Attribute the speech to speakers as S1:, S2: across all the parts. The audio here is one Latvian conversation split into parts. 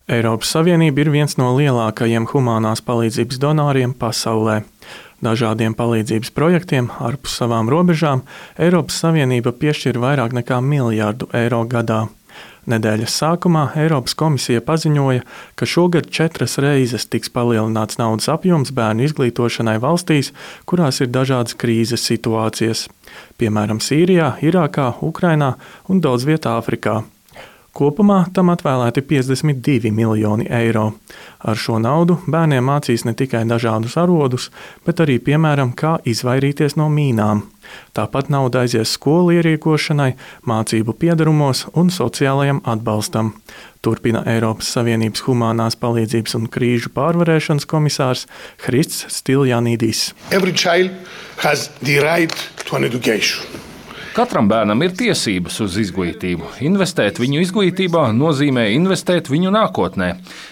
S1: Eiropas Savienība ir viens no lielākajiem humānās palīdzības donoriem pasaulē. Dažādiem palīdzības projektiem ārpus savām robežām Eiropas Savienība piešķir vairāk nekā miljardu eiro gadā. Nedēļas sākumā Eiropas komisija paziņoja, ka šogad 4 reizes tiks palielināts naudas apjoms bērnu izglītošanai valstīs, kurās ir dažādas krīzes situācijas, piemēram, Sīrijā, Irākā, Ukrainā un daudz vietā Āfrikā. Kopumā tam atvēlēti 52 miljoni eiro. Ar šo naudu bērniem mācīs ne tikai dažādus arodus, bet arī, piemēram, kā izvairīties no mīnām. Tāpat nauda aizies skolu ierīkošanai, mācību piedarumos un sociālajam atbalstam. Turpina Eiropas Savienības humānās palīdzības un krīžu pārvarēšanas komisārs Hrists Stiljanidis.
S2: Every child has the right to an education.
S3: Katram bērnam ir tiesības uz izglītību. Investēt viņu izglītībā nozīmē investēt viņu nākotnē.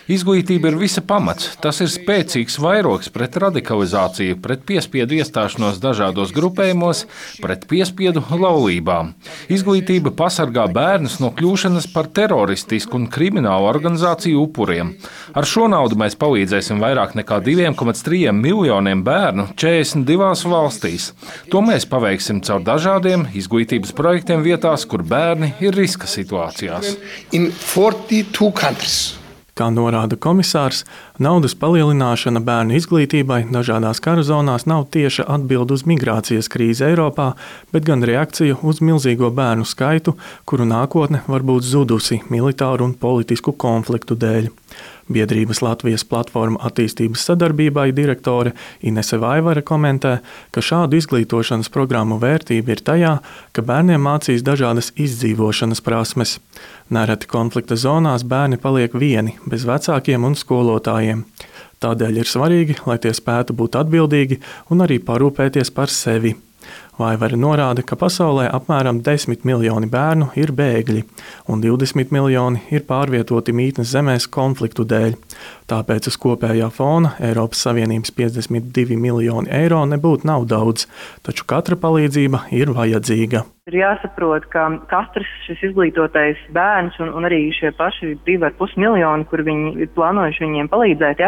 S3: Izglītība ir visa pamats. Tas ir spēcīgs vairogs pret radikalizāciju, pret piespiedu iestāšanos dažādos grupējumos, pret piespiedu laulībām. Izglītība pasargā bērnus no kļūšanas par teroristisku un kriminālu organizāciju upuriem. Ar šo naudu mēs palīdzēsim vairāk nekā 2,3 miljoniem bērnu 42 valstīs. To mēs paveiksim caur dažādiem izglītības projektiem vietās, kur bērni ir riska situācijās.
S2: In 42 countries.
S1: Kā norāda komisārs, naudas palielināšana bērnu izglītībai dažādās kara zonās nav tieša atbilde uz migrācijas krīzi Eiropā, bet gan reakcija uz milzīgo bērnu skaitu, kuru nākotne var būt zudusi militāru un politisku konfliktu dēļ. Biedrības Latvijas platforma attīstības sadarbībai direktore Inese Vaivare komentē, ka šādu izglītošanas programmu vērtība ir tajā, ka bērniem mācīs dažādas izdzīvošanas prasmes. Nereti konflikta zonās bērni paliek vieni, bez vecākiem un skolotājiem. Tādēļ ir svarīgi, lai tie spētu būt atbildīgi un arī parūpēties par sevi. Vaivare norāda, ka pasaulē apmēram 10 miljoni bērnu ir bēgļi, un 20 miljoni ir pārvietoti mītnes zemēs konfliktu dēļ. Tāpēc uz kopējā fona Eiropas Savienības 52 miljoni eiro nebūtu nav daudz, taču katra palīdzība ir vajadzīga.
S4: Ir jāsaprot, ka katrs šis izglītotais bērns un arī šie paši 2,5 miljoni, kur viņi ir plānojuši viņiem palīdzēt,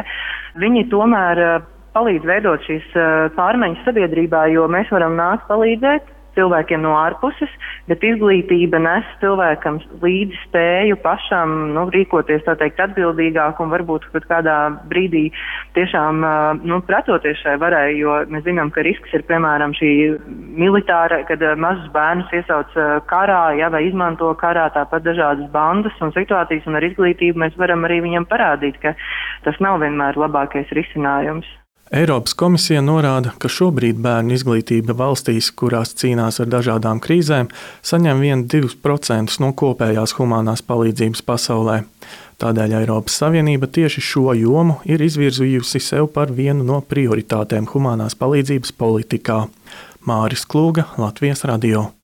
S4: viņi tomēr palīdz veidot šīs pārmaiņas sabiedrībā, jo mēs varam nākt palīdzēt cilvēkiem no ārpuses, bet izglītība nes cilvēkam līdzi spēju pašam rīkoties, tā teikt, atbildīgāk un varbūt pat kādā brīdī tiešām pretoties šai varai, jo mēs zinām, ka risks ir, piemēram, šī militāra, kad mazus bērnus iesauc karā, vai izmanto karā, tāpat dažādas bandas un situācijas, un ar izglītību mēs varam arī viņam parādīt, ka tas nav vienmēr labākais risinājums.
S1: Eiropas komisija norāda, ka šobrīd bērnu izglītība valstīs, kurās cīnās ar dažādām krīzēm, saņem 1–2% no kopējās humānās palīdzības pasaulē. Tādēļ Eiropas Savienība tieši šo jomu ir izvirzījusi sev par vienu no prioritātēm humānās palīdzības politikā. Māris Klūga, Latvijas radio.